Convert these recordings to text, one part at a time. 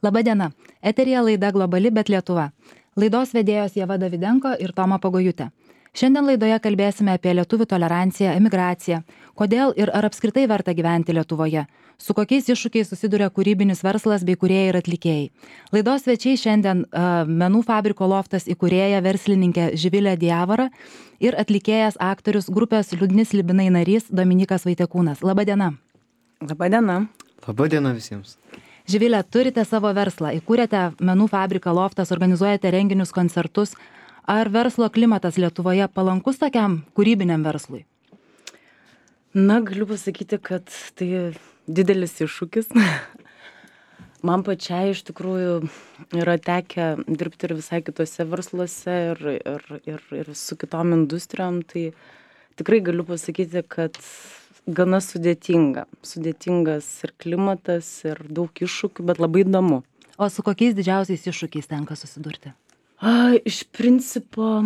Labadiena. Eteryje laida Globali, bet Lietuva. Laidos vedėjos Ieva Davidenko ir Toma Pagojutė. Šiandien laidoje kalbėsime apie lietuvių toleranciją, emigraciją, kodėl ir ar apskritai verta gyventi Lietuvoje, su kokiais iššūkiais susiduria kūrybinis verslas bei kūrėjai ir atlikėjai. Laidos svečiai šiandien Menų fabriko Loftas įkūrėja verslininkė Živilė Diavara ir atlikėjas aktorius grupės Liūdni slibinai narys Dominykas Vaitekūnas. Labadiena. Labadiena. Labadiena visiems. Živilė, turite savo verslą, įkūrėte Menų fabriką Loftas, organizuojate renginius, koncertus. Ar verslo klimatas Lietuvoje palankus tokiam kūrybiniam verslui? Na, galiu pasakyti, kad tai didelis iššūkis. Man pačiai iš tikrųjų yra tekę dirbti ir visai kitose versluose ir su kitom industrijom. Tai tikrai galiu pasakyti, kad gana sudėtingas ir klimatas, ir daug iššūkių, bet labai įdomu. O su kokiais didžiausiais iššūkiais tenka susidurti? Iš principo,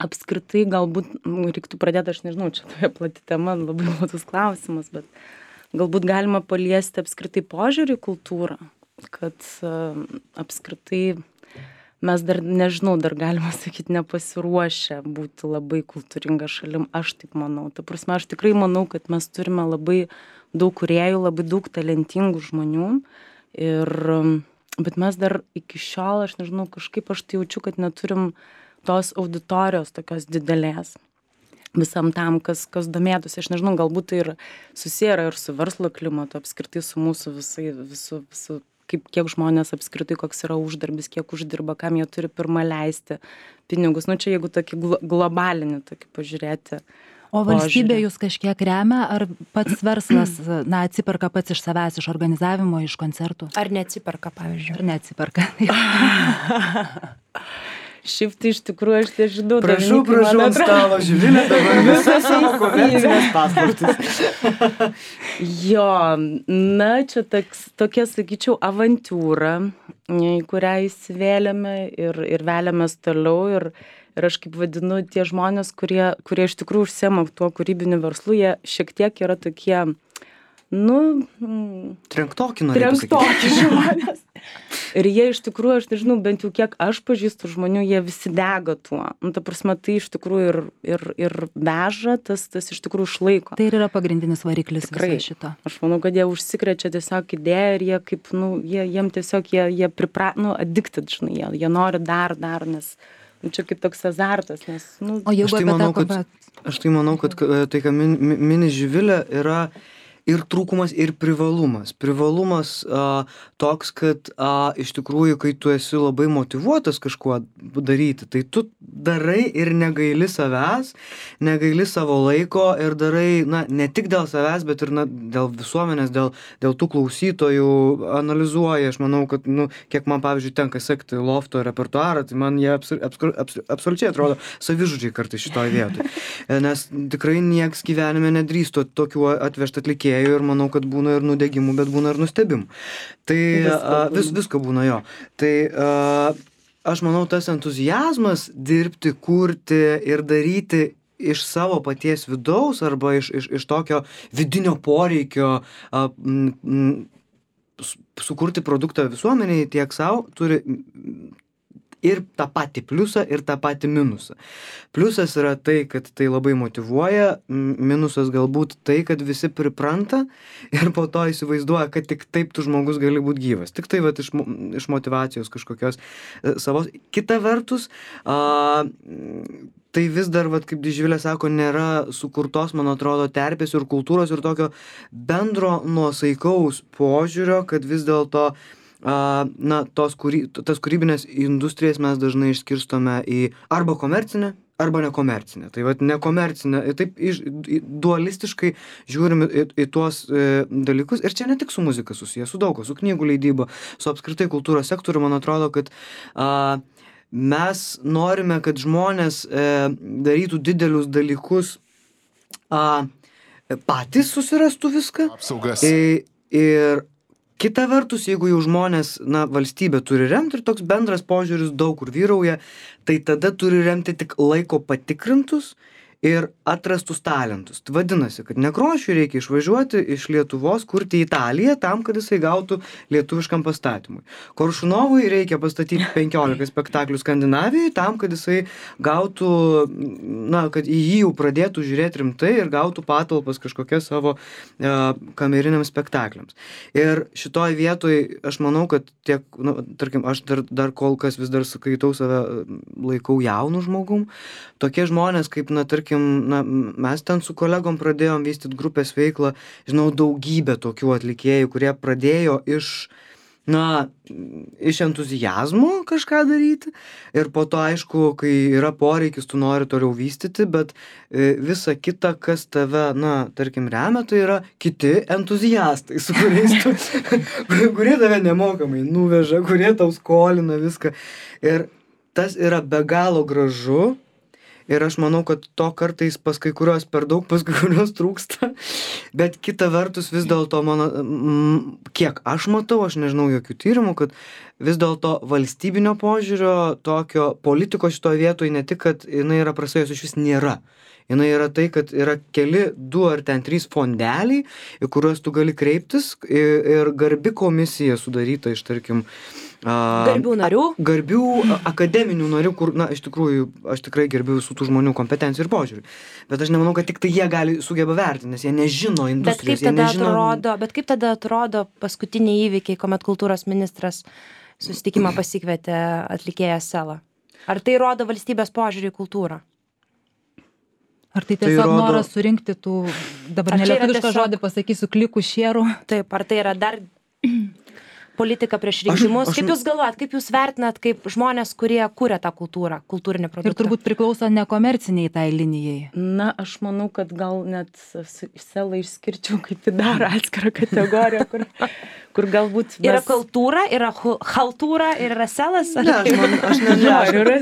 apskritai galbūt reiktų pradėti, aš nežinau, čia tokia plati tema, labai platus klausimas, bet galbūt galima paliesti apskritai požiūrį į kultūrą, kad apskritai mes dar, nežinau, dar galima sakyti, nepasiruošę būti labai kultūringa šalim, aš taip manau. Ta prasme, aš tikrai manau, kad mes turime labai daug kūrėjų, labai daug talentingų žmonių, bet mes dar iki šiol, aš nežinau, kažkaip aš tai jaučiu, kad neturim tos auditorijos tokios didelės visam tam, kas domėtųsi. Aš nežinau, galbūt tai ir susiję ir su verslo klimatu, apskritai su mūsų visų kiek žmonės apskritai, koks yra uždarbis, kiek uždirba, kam jie turi pirmą leisti pinigus. Nu, čia jeigu tokį globalinį tokį pažiūrėti. O valstybė jūs kažkiek remia, ar pats verslas, atsiperka pats iš savęs, iš organizavimo, iš koncertų? Ar neatsiperka, pavyzdžiui? Ar neatsiperka? Šiaip tai iš tikrųjų aš tai žinau. Prašau ant stalo, Živilė, dabar visas savo komercinės paslaptis. Jo, na, čia tokia, sakyčiau, avantiūra, į kurią įsivėlėme ir veliamės toliau. Ir aš kaip vadinu, tie žmonės, kurie iš tikrųjų užsiema tuo kūrybiniu verslu, jie šiek tiek yra tokie, trenktoki žmonės. Ir jie iš tikrųjų, aš nežinau, bent jau kiek aš pažįstu žmonių, jie visi dega tuo. Ta prasme, tai iš tikrųjų ir veža, tas iš tikrųjų išlaiko. Tai yra pagrindinis variklis viso šito. Aš manau, kad jie užsikrečia tiesiog idėją ir jie kaip, jiem tiesiog jie addicted, žinai, jie nori dar, nes čia kaip toks azartas, nes, O jeigu aš tai manau, kad tai, ką mini Živilė, yra ir trūkumas, ir privalumas. Privalumas toks, kad iš tikrųjų, kai tu esi labai motyvuotas kažkuo daryti, tai tu darai ir negaili savęs, negaili savo laiko ir darai, ne tik dėl savęs, bet ir dėl visuomenės, dėl tų klausytojų analizuoji. Aš manau, kad, kiek man, pavyzdžiui, tenka sekti Lofto repertuarą, tai man jie absoliučiai atrodo savižudžiai kartais šitoj vietoj. Nes tikrai nieks gyvenime nedrįsto tokių atvežti atlikėjų. Ir manau, kad būna ir nudegimų, bet būna ir nustebimų. Tai visko būna jo. Tai aš manau, tas entuziazmas dirbti, kurti ir daryti iš savo paties vidaus arba iš tokio vidinio poreikio sukurti produktą visuomeniai tiek savo turi ir tą patį pliusą, ir tą patį minusą. Pliusas yra tai, kad tai labai motyvuoja, minusas galbūt tai, kad visi pripranta ir po to įsivaizduoja, kad tik taip tu žmogus gali būti gyvas. Tik tai iš motyvacijos kažkokios savos. Kita vertus, tai vis dar, kaip Živilė sako, nėra sukurtos, man atrodo, terpės ir kultūros ir tokio bendro nuosaikaus požiūrio, kad vis dėlto tas kūrybinės industrijas mes dažnai išskirstome į arba komercinę, arba nekomercinę. Tai nekomercinę, taip dualistiškai žiūrim į tuos dalykus. Ir čia ne tik su muzika susijęs, su daug, su knygų leidyba, su apskritai kultūros sektoriu. Man atrodo, kad mes norime, kad žmonės darytų didelius dalykus, patys susirastų viską. Apsaugas. Ir kita vertus, jeigu jau žmonės, valstybė turi remti ir toks bendras požiūris daug kur vyrauja, tai tada turi remti tik laiko patikrintus ir atrastus talentus. Tai vadinasi, kad Nekrošiui reikia išvažiuoti iš Lietuvos, kurti į Italiją, tam, kad jisai gautų lietuviškam pastatymui. Koršunovui reikia pastatyti 15 spektaklių Skandinavijoje, tam, kad jisai gautų, kad į jį jau pradėtų žiūrėti rimtai ir gautų patalpas kažkokias savo kameriniams spektakliams. Ir šitoj vietoj aš manau, kad tiek, tarkim, aš dar kol kas vis dar skaitau save, laikau jaunų žmogum. Tokie žmonės, kaip, tarkim, mes ten su kolegom pradėjom vystyti grupės veiklą, žinau daugybę tokių atlikėjų, kurie pradėjo iš entuziazmo kažką daryti ir po to, aišku, kai yra poreikis, tu nori toliau vystyti, bet visa kita, kas tave, tarkim, remia, tai yra kiti entuziastai, su kuriais tu, kurie tave nemokamai nuveža, kurie tau skolina viską. Ir tas yra be galo gražu. Ir aš manau, kad to kartais pas kai kurios per daug, pas kai kurios trūksta. Bet kita vertus vis dėlto kiek aš matau, aš nežinau jokių tyrimų, kad vis dėlto valstybinio požiūrio tokio politikos šitoje vietoje ne tik, kad jinai yra prasėjus, iš vis nėra. Jinai yra tai, kad yra keli 2 ar 3 fondeliai, į kuriuos tu gali kreiptis ir garbi komisija sudaryta iš, tarkim, garbių narių, garbių akademinių narių, kur, iš tikrųjų, aš tikrai gerbiu visų tų žmonių kompetencijų ir požiūrį. Bet aš nemanau, kad tik tai jie sugeba vertinti, nes jie nežino industrijos. Bet kaip tada atrodo paskutiniai įvykiai, kuomet kultūros ministras susitikimą pasikvietė atlikėją Selą? Ar tai rodo valstybės požiūrį į kultūrą? Ar tai tiesiog noras surinkti tų, dabar nelietuvišką žodį pasakysiu, klikų šierų? Taip, ar tai yra dar politika prieš rinkimus? Kaip jūs galvojat, kaip jūs vertinat kaip žmonės, kurie kuria tą kultūrą, kultūrinį produktą? Ir turbūt priklauso nekomerciniai tai linijai. Aš manau, kad gal net Selą išskirčiau kaip į dar atskirą kategoriją, kur galbūt yra kultūra, yra haltūra ir yra Selas? Ne, aš nežinau.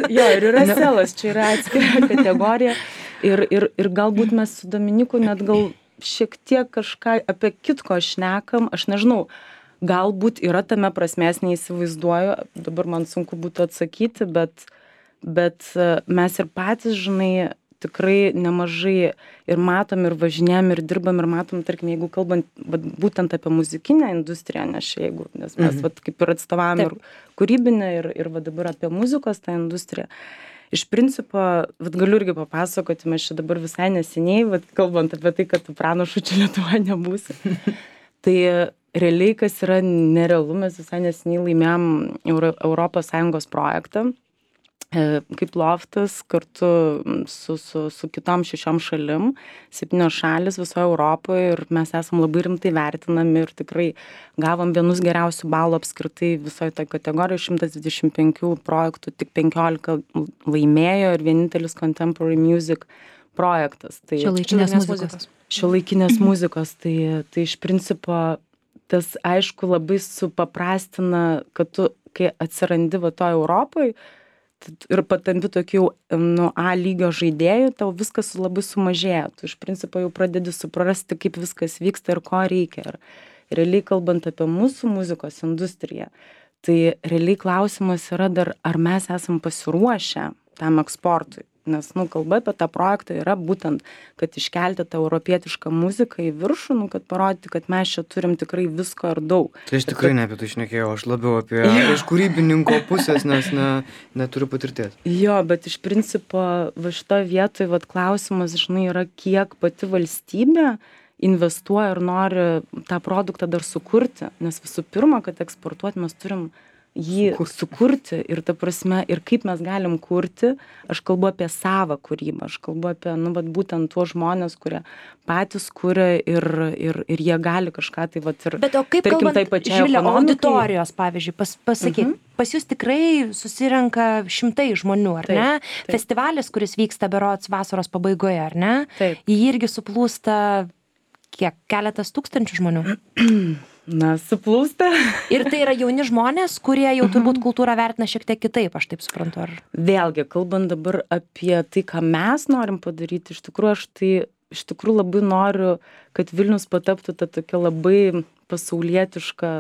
Jo, ir yra Selas, čia yra atskira kategorija. Ir galbūt mes su Dominiku net gal šiek tiek kažką apie kitko šnekam, aš nežinau, galbūt yra tame prasmės, neįsivaizduoju, dabar man sunku būtų atsakyti, bet mes ir patys, žinai, tikrai nemažai ir matom, ir važinėjam, ir dirbam, ir matom, tarkim, jeigu kalbant būtent apie muzikinę industriją, nes mes kaip ir atstovavom ir kūrybinę, ir dabar apie muzikos tą industriją. Iš principo, galiu irgi papasakoti, mes čia dabar visai neseniai, kalbant apie tai, kad tu pranašu čia Lietuvoje nebūsi. Tai realiai, kas yra nerealu, mes visai neseniai laimėjom Europos Sąjungos projektą, kaip loftas, kartu su kitom 6 šalim, 7 šalis visoje Europoje, ir mes esam labai rimtai vertinami ir tikrai gavom vienus geriausių balų apskritai visoje toje kategorijoje, 125 projektų, tik 15 laimėjo ir vienintelis Contemporary Music projektas. Tai šiuolaikinės muzikos. Tai iš principo tas, aišku, labai supaprastina, kad tu, kai atsirandi to Europoje ir patampi tokių A lygio žaidėjų, tau viskas labai sumažėja. Tu iš principo jau pradedi suprasti, kaip viskas vyksta ir ko reikia. Ir realiai kalbant apie mūsų muzikos industriją, tai realiai klausimas yra dar, ar mes esam pasiruošę tam eksportui. Nes, kalba apie tą projektą yra būtent, kad iškelti tą europietišką muziką į viršų, kad parodyti, kad mes čia turim tikrai visko ir daug. Tai aš tikrai ne apie tai šnekėjau, aš labiau apie iš kūrybininko pusės, nes neturiu patirties. Jo, bet iš principo šitoje vietoje klausimas, žinai, yra, kiek pati valstybė investuoja ir nori tą produktą dar sukurti. Nes visų pirma, kad eksportuoti mes turim jį sukurti ir ta prasme, ir kaip mes galim kurti, aš kalbu apie savą kūrybą, aš kalbu apie, būtent tuos žmonės, kurie patys kuria ir jie gali kažką tai, ir bet o kaip tarkim, kalbant, Živilė, auditorijos, pavyzdžiui, pasakyt, pas jūs tikrai susirenka šimtai žmonių, ar ne? Taip. Festivalis, kuris vyksta berods vasaros pabaigoje, ar ne? Taip. Jį irgi suplūsta kiek? Keletas tūkstančių žmonių? Suplūsta. Ir tai yra jauni žmonės, kurie jau turbūt kultūrą vertina šiek tiek kitaip, aš taip suprantu. Vėlgi, kalbant dabar apie tai, ką mes norim padaryti, iš tikrųjų labai noriu, kad Vilnius pataptų tą tokią labai pasaulietišką,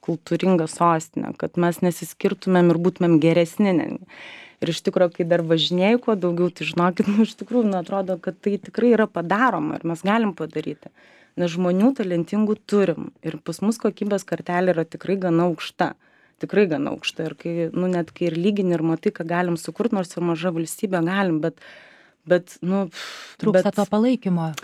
kultūringą sostinę, kad mes nesiskirtumėm ir būtumėm geresni. Ir iš tikrųjų, kai dar važinėjau kuo daugiau, tai žinokit, iš tikrųjų, atrodo, kad tai tikrai yra padaroma ir mes galim padaryti. Nes žmonių talentingų turim ir pas mus kokybės kartelė yra tikrai gana aukšta. Tikrai gana aukšta. Ir kai, net kai ir lygini ir matai, ką galim sukurti, nors ir maža valstybė galim, bet trūksta to palaikymo.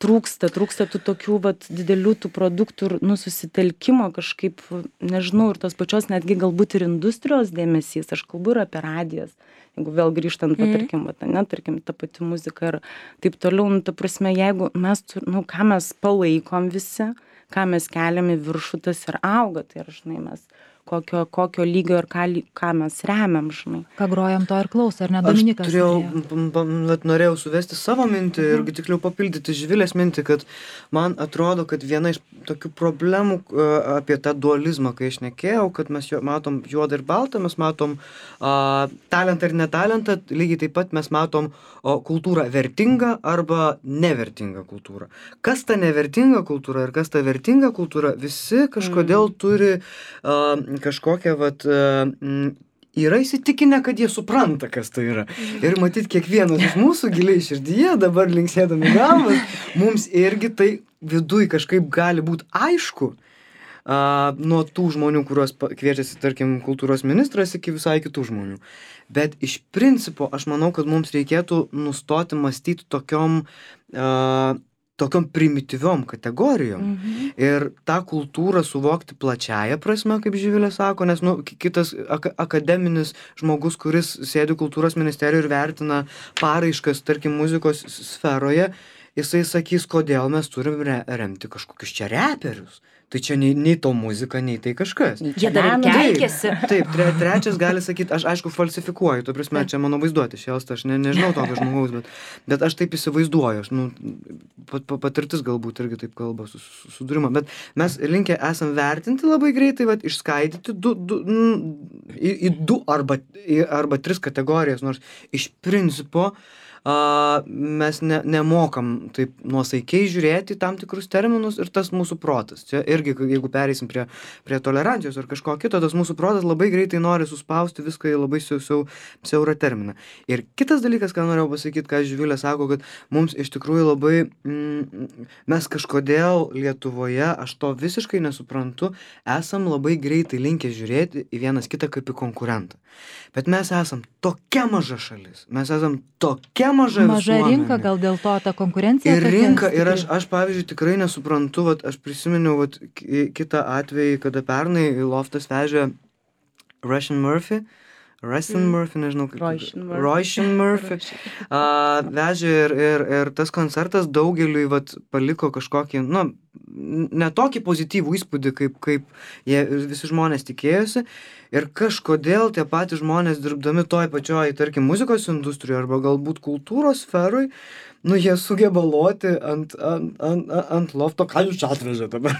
Trūksta tų tokių didelių tų produktų ir susitelkimo kažkaip, nežinau, ir tos pačios netgi galbūt ir industrijos dėmesys, aš kalbu ir apie radijas, jeigu vėl grįžtant, tarkim, ta pati muzika ir taip toliau, ta prasme, jeigu mes, ką mes palaikom visi, ką mes keliam į viršų, tas ir auga, tai ir, žinai, mes kokio lygio ir ką mes remiam, žinai. Ką grojam, to ir klauso, ar ne, Dominikas? Aš norėjau suvesti savo mintį ir tiksliau papildyti Živilės mintį, kad man atrodo, kad viena iš tokių problemų apie tą dualizmą, kai aš nekėjau, kad mes matom juodą ir baltą, mes matom talentą ir netalentą, lygiai taip pat mes matom kultūrą vertingą arba nevertingą kultūrą. Kas ta nevertinga kultūra ir kas ta vertinga kultūra, visi kažkodėl turi kažkokią, yra įsitikinę, kad jie supranta, kas tai yra. Ir matyt, kiekvienas iš mūsų giliai širdyje, dabar linksėdami galvas, mums irgi tai viduj kažkaip gali būti aišku, nuo tų žmonių, kuriuos kviečiasi, tarkim, kultūros ministras, iki visai kitų žmonių. Bet iš principo, aš manau, kad mums reikėtų nustoti mąstyti tokiom primityviom kategorijom. Ir tą kultūrą suvokti plačiaja prasme, kaip Živilė sako, nes kitas akademinis žmogus, kuris sėdi kultūros ministerijoje ir vertina paraiškas, tarkim, muzikos sferoje, jisai sakys, kodėl mes turim remti kažkokius čia reperius. Tai čia nei to muzika, nei tai kažkas. Jie dar keikėsi. Taip, trečias gali sakyti, aš aišku falsifikuoju, to prasme, čia mano vaizduotė šėlsta, aš nežinau tokio žmogaus, bet aš taip įsivaizduoju, patirtis galbūt irgi taip kalba sudūrimą, bet mes linkę esam vertinti labai greitai, išskaidyti į du arba tris kategorijas, nors iš principo mes nemokam taip nuosaikiai žiūrėti tam tikrus terminus ir tas mūsų protas. Čia irgi, jeigu pereisim prie tolerancijos ar kažko kito, tas mūsų protas labai greitai nori suspausti viską į labai siaurą terminą. Ir kitas dalykas, ką norėjau pasakyti, ką Živilė sako, kad mums iš tikrųjų labai, mes kažkodėl Lietuvoje, aš to visiškai nesuprantu, esam labai greitai linkę žiūrėti į vienas kitą kaip į konkurentą. Bet mes esam tokia maža šalis, mes esam tokia maža rinka, gal dėl to ta konkurencija. Ir rinka, ir aš pavyzdžiui tikrai nesuprantu, aš prisiminiau kitą atvejį, kada pernai Loftas vežė Roisin Murphy, nežinau kaip. Roisin Murphy. Vežė ir tas koncertas daugeliui paliko kažkokį, ne tokį pozityvų įspūdį, kaip jie visi žmonės tikėjosi. Ir kažkodėl tie patys žmonės dirbdami toj pačioj, tarkim, muzikos industrijoje arba galbūt kultūros sferoj, jie sugeba loti ant lofto, ką jūs čia atvežė dabar,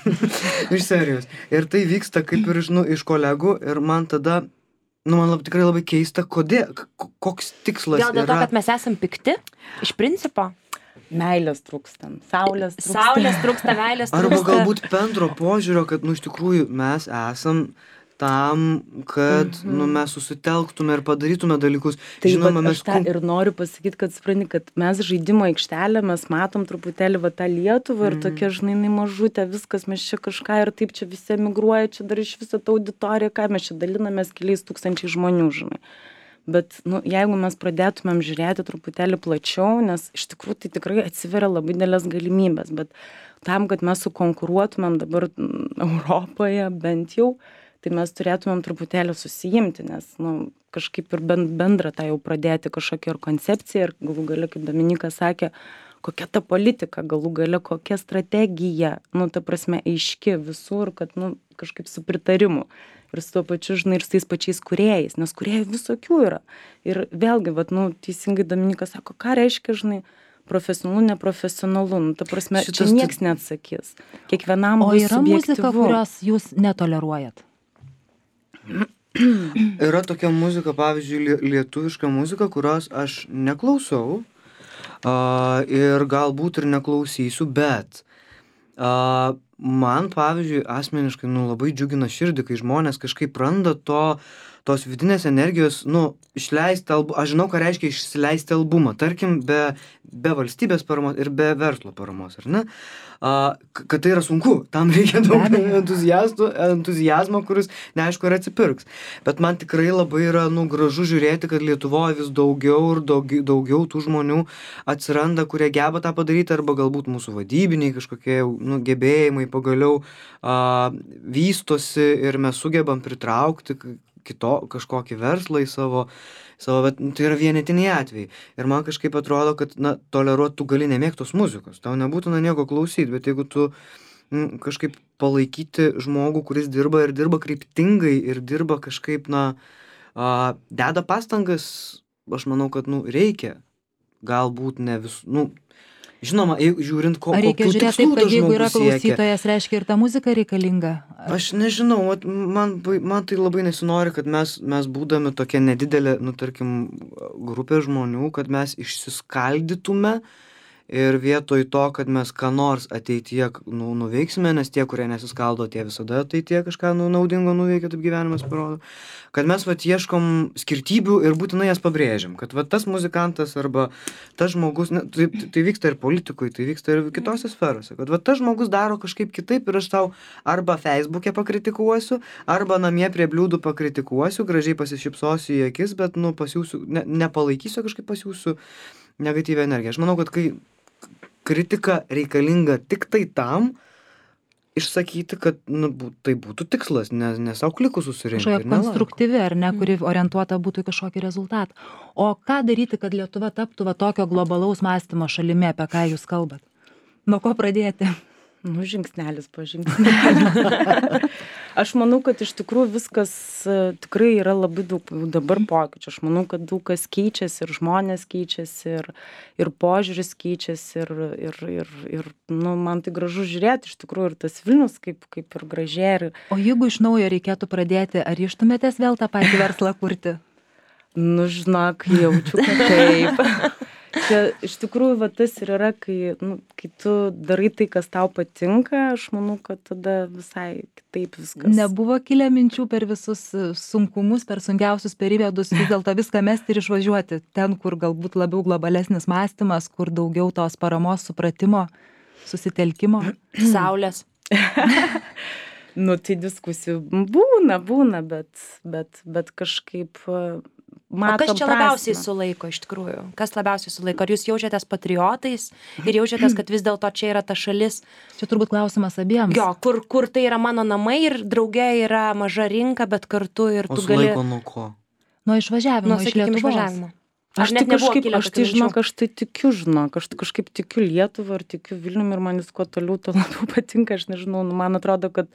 iš serijos. Ir tai vyksta kaip ir iš kolegų ir man tada, man tikrai labai keista, kodėl, koks tikslas yra. Gal dėl to, kad mes esam pikti, iš principo? Meilės trūksta, saulės trūksta, meilės trūksta. Arba galbūt bendro požiūrio, kad, iš tikrųjų, mes esam tam, kad mes susitelktume ir padarytume dalykus. Tai žinoma, aš tą ir noriu pasakyti, kad supranti, kad mes žaidimo aikštelę, mes matom truputėlį tą Lietuvą ir tokia, žinai, mažutė, viskas, mes čia kažką ir taip čia visi emigruoja, čia dar iš viso tą auditoriją, ką mes čia dalinamės keliais tūkstančiai žmonių, žinai. Bet, jeigu mes pradėtumėm žiūrėti truputėlį plačiau, nes iš tikrųjų tai tikrai atsiveria labai didelės galimybės, bet tam, kad mes sukonkuruotumėm dabar Europoje bent jau, tai mes turėtumėm truputėlį susijimti, nes kažkaip ir bendrą tą jau pradėti kažkokią ir koncepciją ir galų gale, kaip Dominikas sakė, kokia ta politika, galų gale kokia strategija, ta prasme, aiški visur, kad kažkaip su pritarimu ir su tuo pačiu, žinai, ir su tais pačiais kūrėjais, nes kūrėjų visokių yra. Ir vėlgi, teisingai Dominikas sako, ką reiškia, žinai, profesionalu, neprofesionalu, ta prasme, čia nieks neatsakys. Kiekvienam bus subjektyvu. O yra muzika, kurios jūs netoleruojat? Yra tokia muzika, pavyzdžiui, lietuviška muzika, kurios aš neklausau ir galbūt ir neklausysiu, bet man, pavyzdžiui, asmeniškai labai džiugina širdį, kai žmonės kažkaip randa tos vidinės energijos, išleisti albumą, aš žinau, ką reiškia išleisti albumą, tarkim, be valstybės paramos ir be verslo paramos, ar ne? Kad tai yra sunku, tam reikia daug entuzijazmo, kuris neaišku ir atsipirks. Bet man tikrai labai yra gražu žiūrėti, kad Lietuvoje vis daugiau ir daugiau tų žmonių atsiranda, kurie geba tą padaryti, arba galbūt mūsų vadybiniai kažkokie gebėjimai pagaliau vystosi ir mes sugebam pritraukti kažkokį verslą į savo, bet tai yra vienetiniai atvejai. Ir man kažkaip atrodo, kad, toleruot tu gali nemėgtos muzikos, tau nebūtina nieko klausyti, bet jeigu tu kažkaip palaikyti žmogų, kuris dirba kryptingai ir dirba kažkaip, deda pastangas, aš manau, kad, reikia. Galbūt ne žinoma, žiūrint, kokių tikslų tas žmogus siekia. Ar reikia žiūrėti taip, kad jeigu yra klausytojas, reiškia ir ta muzika reikalinga? Aš nežinau, man tai labai nesinori, kad mes būdami tokia nedidelė, tarkim, grupė žmonių, kad mes išsiskaldytume ir vietoj to, kad mes ką nors ateityje nuveiksime, nes tie, kurie nesiskaldo, tie visada ateityje kažką naudingo nuveikia, taip gyvenimas parodo, kad mes ieškom skirtybių ir būtinai jas pabrėžiam, kad tas muzikantas arba tas žmogus, tai vyksta ir politikui, tai vyksta ir kitose sferose, kad tas žmogus daro kažkaip kitaip ir aš tau arba Facebook'e pakritikuosiu, arba namie prie bliūdų pakritikuosiu, gražiai pasišypsosiu į akis, bet pasiūsiu, nepalaikysiu, kažkaip pasiūsiu negatyvią energiją. Aš manau, kad kai kritika reikalinga tik tai tam, išsakyti, kad tai būtų tikslas, nes savo klikų susirinkti. Kažkokia konstruktyvi, ar ne, kuri orientuota būtų į kažkokį rezultatą. O ką daryti, kad Lietuva taptų tokio globalaus mąstymo šalimi, apie ką jūs kalbat? Nuo ko pradėti? Žingsnelis po žingsnelio. Aš manau, kad iš tikrųjų viskas tikrai yra labai daug dabar pokyčių. Aš manau, kad daug kas keičiasi ir žmonės keičiasi ir požiūris keičiasi ir man tai gražu žiūrėti iš tikrųjų ir tas Vilnius kaip ir gražiai. O jeigu iš naujo reikėtų pradėti, ar ryžtumėtės vėl tą patį verslą kurti? Žinok, jaučiu, kad taip. Čia iš tikrųjų tas ir yra, kai tu darai tai, kas tau patinka, aš manau, kad tada visai kitaip viskas. Nebuvo kilę minčių per visus sunkumus, per sunkiausius periodus vis dėlto viską mesti ir išvažiuoti ten, kur galbūt labiau globalesnis mąstymas, kur daugiau tos paramos, supratimo, susitelkimo, saulės. Tai diskusijų būna, bet kažkaip matom prasmę. O kas čia labiausiai sulaiko iš tikrųjų? Kas labiausiai sulaiko? Ar jūs jaučiatės patriotais ir jaučiatės, kad vis dėlto čia yra ta šalis? Čia turbūt klausimas abiems. Jo, kur tai yra mano namai ir drauge yra maža rinka, bet kartu ir tu gali... O sulaiko nuo ko? Nuo išvažiavimo, iš Lietuvos. Aš tai tikiu, aš kažkaip tikiu Lietuvą ir tikiu Vilniumi ir man vis kuo toliau, to labiau patinka, aš nežinau, man atrodo, kad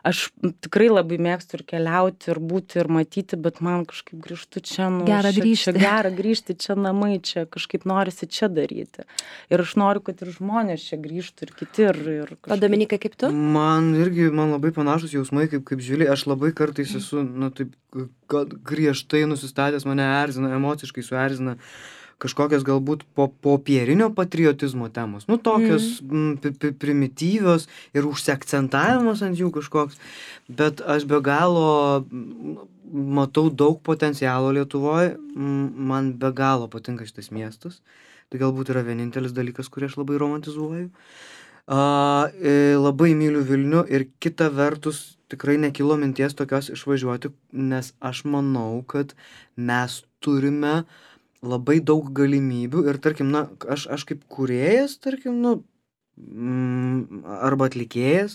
aš tikrai labai mėgstu ir keliauti, ir būti, ir matyti, bet man kažkaip grįžtu čia, gera grįžti, čia namai, čia kažkaip norisi čia daryti. Ir aš noriu, kad ir žmonės čia grįžtų, ir kiti, ir kažkaip... O Dominikai, kaip tu? Man labai panašus jausmai, kaip Živilė. Aš labai kartais esu, taip griežtai nusistatęs, mane erzina, emociškai suerzina kažkokios galbūt popierinio patriotizmo temos, tokios primityvios ir užsiakcentavimas ant jų kažkoks, bet aš be galo matau daug potencialo Lietuvoje, man be galo patinka šitas miestas, tai galbūt yra vienintelis dalykas, kurį aš labai romantizuoju. Labai myliu Vilnių ir kita vertus tikrai nekilo minties tokios išvažiuoti, nes aš manau, kad mes turime labai daug galimybių ir tarkim, aš kaip kūrėjas, tarkim, arba atlikėjas,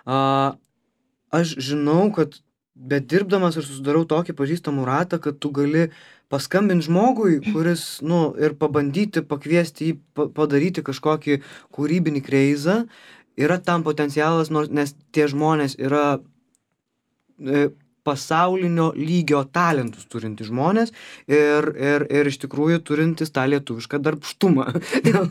aš žinau, kad bet dirbdamas ir susidarau tokį pažįstamų ratą, kad tu gali paskambinti žmogui, kuris, ir pabandyti pakviesti jį padaryti kažkokį kūrybinį kreizą, yra tam potencialas, nes tie žmonės yra pasaulinio lygio talentus turinti žmonės ir iš tikrųjų turintis tą lietuvišką darbštumą.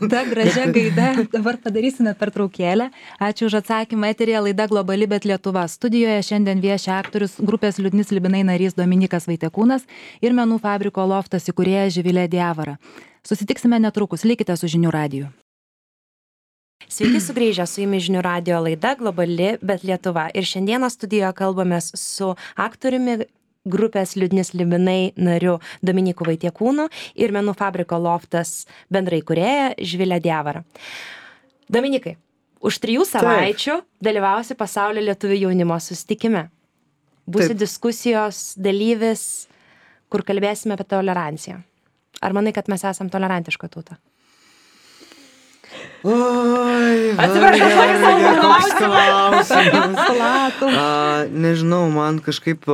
Ta gražia gaida, dabar padarysime pertraukėlę. Ačiū už atsakymą. Eteryje laida Globali, bet Lietuva. Studijoje šiandien vieši aktorius grupės Liūdni slibinai narys Dominykas Vaitekūnas ir menų fabriko Loftas įkūrėja Živilė Diavara. Susitiksime netrukus, likite su Žinių radiju. Sveiki sugrįžę, su jumis Žinių radijo laida Globali, bet Lietuva. Ir šiandieną studijoje kalbamės su aktoriumi grupės Liūdni slibinai nariu Dominyku Vaitiekūnu ir Menų fabriko Loftas bendraįkūrėja Živilė Diavara. Dominikai, už 3 savaičių dalyvausi pasaulio lietuvių jaunimo susitikime. Būsi diskusijos dalyvis, kur kalbėsime apie toleranciją. Ar manai, kad mes esam tolerantiška tauta? Oi, Atsiprašau, koks klausimas. Nežinau, man kažkaip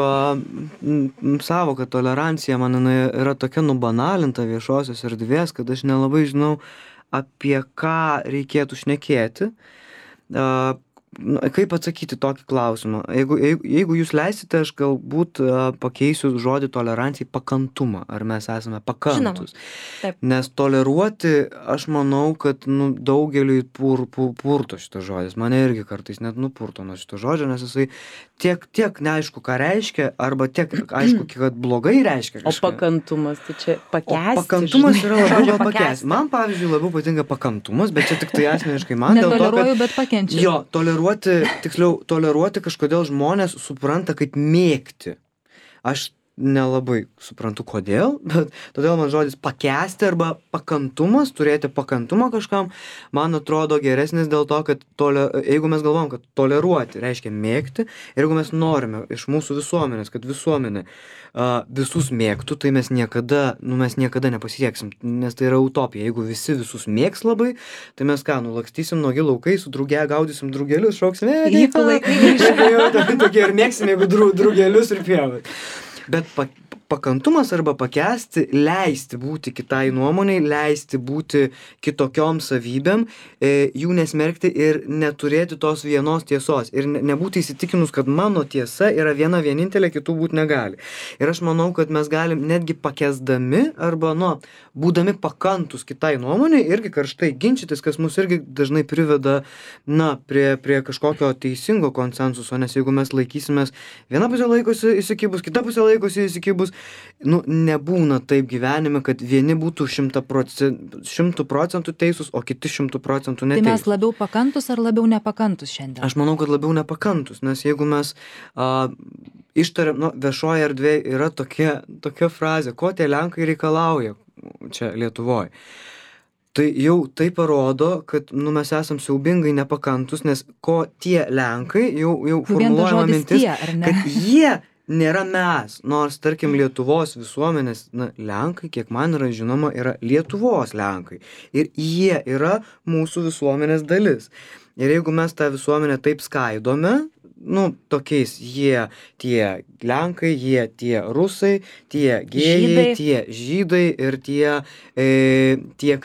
savoka tolerancija, man jinai yra tokia nubanalinta viešosios erdvės, kad aš nelabai žinau, apie ką reikėtų šnekėti. Kaip atsakyti tokį klausimą? Jeigu jūs leisite, aš galbūt pakeisiu žodį tolerancijai pakantumą. Ar mes esame pakantus? Taip. Nes toleruoti, aš manau, kad daugeliui purto šitas žodis. Mane irgi kartais net nupurto nuo šito žodžio, nes jisai tiek neaišku, ką reiškia, arba tiek aišku, kad blogai reiškia kažką. O pakantumas, tai čia pakęsti. Pakantumas yra labiau gal pakęsti. Man, pavyzdžiui, labiau patinka pakantumas, bet čia tik tai asmeniškai man dėl to, Netoleruoju, kad... bet pakenčiu. Jo, toleruoti kažkodėl žmonės supranta kaip mėgti. Aš nelabai suprantu kodėl, bet todėl man žodis pakęsti arba pakantumas, turėti pakantumą kažkam, man atrodo geresnis dėl to, kad jeigu mes galvom, kad toleruoti reiškia mėgti, ir jeigu mes norime iš mūsų visuomenės, kad visuomenė visus mėgtų, tai mes niekada nepasieksim, nes tai yra utopija. Jeigu visi visus mėgs labai, tai mes lakstysim nuogi laukai, su druge gaudysim drugelius, šauksim, tokie ir mėgsim, jeigu drugelius ir pievas. Bet pakantumas arba pakęsti, leisti būti kitai nuomoniai, leisti būti kitokiom savybėm, jų nesmerkti ir neturėti tos vienos tiesos. Ir nebūti įsitikinus, kad mano tiesa yra viena vienintelė, kitų būti negali. Ir aš manau, kad mes galim netgi pakęsdami arba, būdami pakantus kitai nuomonei, irgi karštai ginčytis, kas mus irgi dažnai priveda, prie kažkokio teisingo konsensuso, nes jeigu mes laikysimės, viena pusė laikosi įsikibus, kita pusė laikosi įsikibus, nebūna taip gyvenime, kad vieni būtų 100% teisūs, o kiti 100% neteisūs. Tai mes labiau pakantus ar labiau nepakantus šiandien? Aš manau, kad labiau nepakantus, nes jeigu mes ištariam, viešoje erdvėje yra tokia frazė, ko tie Lenkai reikalauja čia Lietuvoje. Tai jau tai parodo, kad mes esam siaubingai nepakantus, nes ko tie Lenkai jau formuluojama mintis, kad jie nėra mes, nors, tarkim, Lietuvos visuomenės, Lenkai, kiek man yra žinoma, yra Lietuvos Lenkai. Ir jie yra mūsų visuomenės dalis. Ir jeigu mes tą visuomenę taip skaidome, tokiais tie Lenkai, tie rusai, tie gėjai, tie žydai ir tie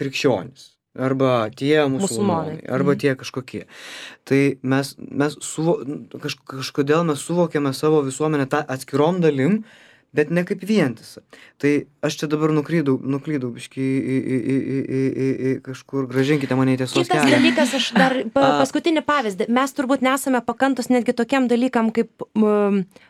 krikščionys. Arba tie musulmonai, arba tie kažkokie. Tai kažkodėl mes suvokiame savo visuomenę tą atskirom dalim, bet ne kaip vientisą. Tai aš čia dabar nuklydau biškį į kažkur, gražinkite mane į tiesos kelią. Kitas dalykas, aš dar paskutinį pavyzdį. Mes turbūt nesame pakantus netgi tokiam dalykam kaip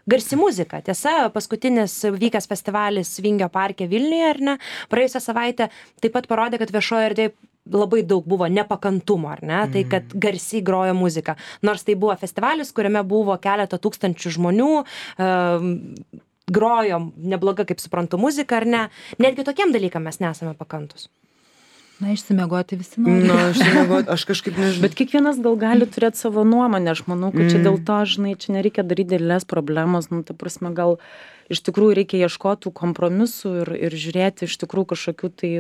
garsi muzika. Tiesa, paskutinis vykęs festivalis Vingio parke Vilniuje, ar ne, praėjusią savaitę taip pat parodė, kad viešoje erdvėje labai daug buvo nepakantumo, ar ne, tai kad garsiai grojo muzika. Nors tai buvo festivalis, kuriame buvo keletą tūkstančių žmonių, grojo nebloga, kaip suprantu, muzika, ar ne. Netgi tokiem dalykam mes nesame pakantus. Išsimiegoti visi nori. Aš kažkaip nežinau. Bet kiekvienas gal gali turėti savo nuomonę. Aš manau, kad čia dėl to, čia nereikia daryti didelės problemos. Ta prasme, gal iš tikrųjų reikia ieškoti kompromisų ir žiūrėti iš tikrųjų kažkokių tai,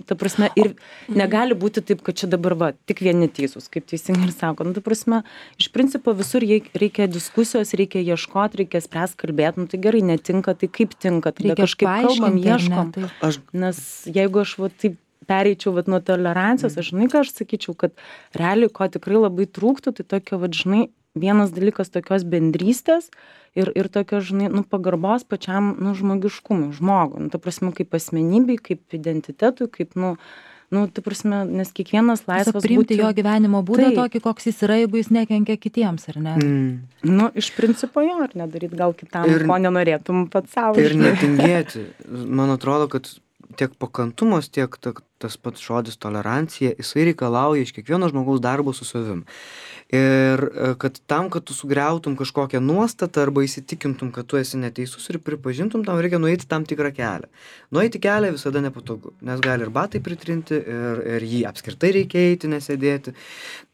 ta prasme, ir negali būti taip, kad čia dabar tik vieni teisūs, kaip teisingai ir sako. Ta prasme, iš principo visur reikia diskusijos, reikia ieškoti, reikia spręsti, kalbėti. Tai gerai, netinka, tai kaip tinka. Tada kažkaip kalbam, ieškom. Nes jeigu aš taip pereičiau nuo tolerancijos, aš ką aš sakyčiau, kad realiai, ko tikrai labai trūktų, tai tokio, vienas dalykas tokios bendrystės ir tokio, pagarbos pačiam, žmogiškumui, žmogui. Ta prasme, kaip asmenybei, kaip identitetui, kaip, ta prasme, nes kiekvienas laisvas priimti jo gyvenimo būdą tokį, koks jis yra, jeigu jis nekenkia kitiems, ar ne? Iš principo jo, ar nedaryti gal kitam, ko nenorėtum pats savo. Ir netingėti. Man atrodo, kad tiek pakantumas, tiek tas pats žodis tolerancija, jisai reikalauja iš kiekvieno žmogaus darbo su savim. Ir kad tu sugriautum kažkokią nuostatą arba įsitikintum, kad tu esi neteisus ir pripažintum, tam reikia nueiti tam tikrą kelią. Nueiti kelią visada nepatogu, nes gali ir batai pritrinti, ir jį apskritai reikia eiti, nesėdėti.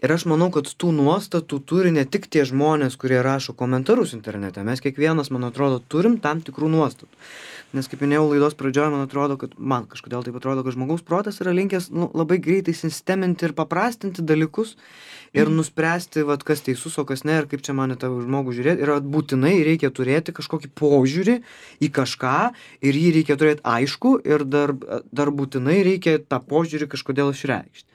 Ir aš manau, kad tų nuostatų turi ne tik tie žmonės, kurie rašo komentarus internete. Mes kiekvienas, man atrodo, turim tam tikrų nuostatų. Nes kaip minėjau laidos pradžioje, man kažkodėl taip atrodo, kad žmogaus protas yra linkęs labai greitai sisteminti ir paprastinti dalykus ir nuspręsti, kas teisus, o kas ne, ir kaip čia man į tą žmogų žiūrėti. Ir būtinai reikia turėti kažkokį požiūrį į kažką ir jį reikia turėti aišku ir dar būtinai reikia tą požiūrį kažkodėl išreikšti.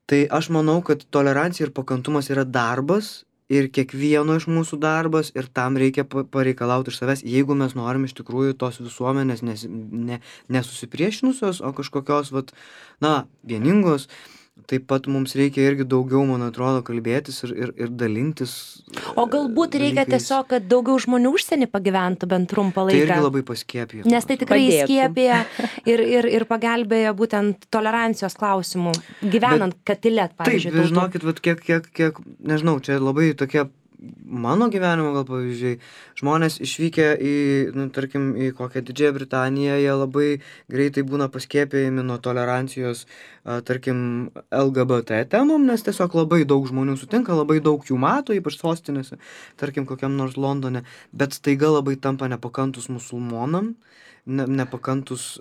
Tai aš manau, kad tolerancija ir pakantumas yra darbas ir kiekvieno iš mūsų darbas ir tam reikia pareikalauti iš savęs, jeigu mes norim iš tikrųjų tos visuomenės nesusipriešinusios, o kažkokios vieningos. Taip pat mums reikia irgi daugiau, man atrodo, kalbėtis ir dalintis. O galbūt reikia tiesiog, kad daugiau žmonių užsienį pagyventų bent trumpą laiką. Tai irgi labai paskiepija. Nes tai tikrai įskiepija ir pagelbėja būtent tolerancijos klausimų, gyvenant Katile, pavyzdžiui. Taip, žinokit, kiek, nežinau, čia labai tokie mano gyvenimo gal pavyzdžiai. Žmonės išvykę tarkim, į kokią Didžiąją Britaniją, jie labai greitai būna paskiepijami nuo tolerancijos, tarkim, LGBT temom, nes tiesiog labai daug žmonių sutinka, labai daug jų mato, ypač sostinėse, tarkim, kokiam nors Londone, bet staiga labai tampa nepakantus musulmonam, nepakantus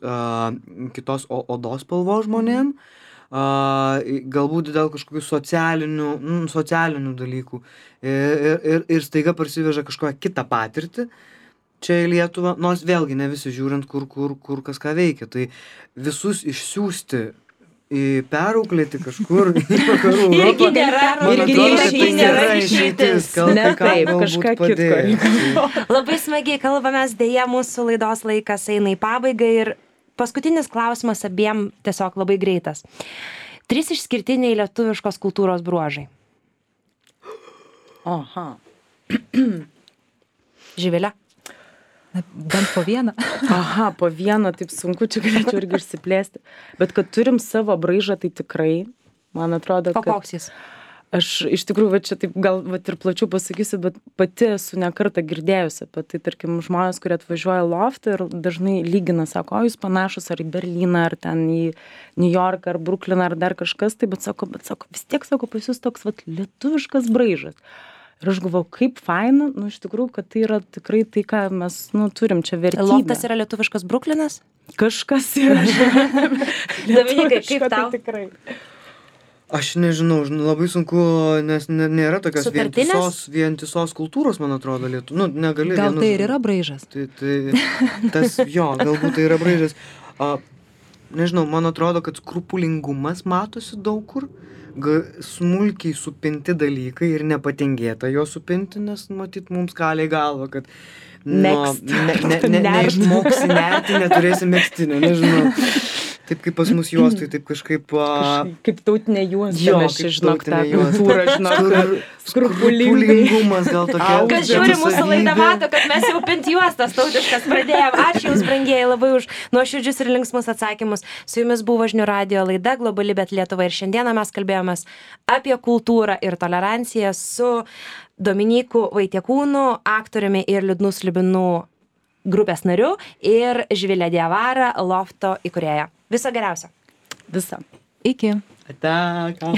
kitos odos spalvos žmonėm, galbūt dėl kažkokių socialinių dalykų ir staiga parsiveža kažkokią kitą patirtį čia į Lietuvą, nors vėlgi ne visi žiūrint, kur kas ką veikia. Tai visus išsiųsti į perauklėti kažkur į vakarų Europą. Irgi nėra išeitis. Kažką kitko. Labai smagiai kalbamės, dėja mūsų laidos laikas eina į pabaigą ir paskutinis klausimas abiem tiesiog labai greitas. 3 išskirtiniai lietuviškos kultūros bruožai. Aha. Živilė? Bent po vieną. Aha, po vieną, taip sunku, čia galėčiau irgi išsiplėsti. Bet kad turim savo braižą, tai tikrai, man atrodo, kad... O koks jis? Aš iš tikrųjų, čia taip gal ir plačiau pasakysiu, bet pati esu ne kartą girdėjusi apie tai, tarkim, žmonės, kurie atvažiuoja loftą ir dažnai lygina, sako, jūs panašus ar į Berliną, ar ten į New Yorką, ar Brukliną, ar dar kažkas, tai bet sako, vis tiek, sako, pas jūs toks lietuviškas braižas. Ir aš galvoju, kaip faina, iš tikrųjų, kad tai yra tikrai tai, ką mes, turim čia vertybę. Loftas yra lietuviškas Bruklinas? Kažkas yra. Dominikai, kaip tau? Tai tikrai. Aš nežinau, labai sunku, nes nėra tokios vientisos kultūros, man atrodo, Lietuva. Negali. Gal tai ir yra braižas? Galbūt tai yra braižas. Nežinau, man atrodo, kad skrupulingumas matosi daug kur. Smulkiai supinti dalykai ir nepatingėta jo supinti, nes matyt mums kaliai galva, kad neišmoksi nerti, neturėsi megztinio, nežinau. Taip kaip pas mus juostai, taip kažkaip... Kaip tautinė juosta, mes čia žinok tą kultūrą, žinok, skrupulingumas gal tokia. Kas žiūri mūsų laidą mato, kad mes jau pinti juostas tautiškas pradėjom. Ačiū Jums, brangieji, labai už nuoširdžius ir linksmus atsakymus. Su Jumis buvo Žinių radijo laida Globali, bet Lietuva. Ir šiandieną mes kalbėjomės apie kultūrą ir toleranciją su Dominyku Vaitiekūnu, aktoriumi ir Liūdnų slibinų grupės nariu ir Živilė Diavara, lofto įkūrėja. Viso geriausio. Visa. Iki. Ate, ką.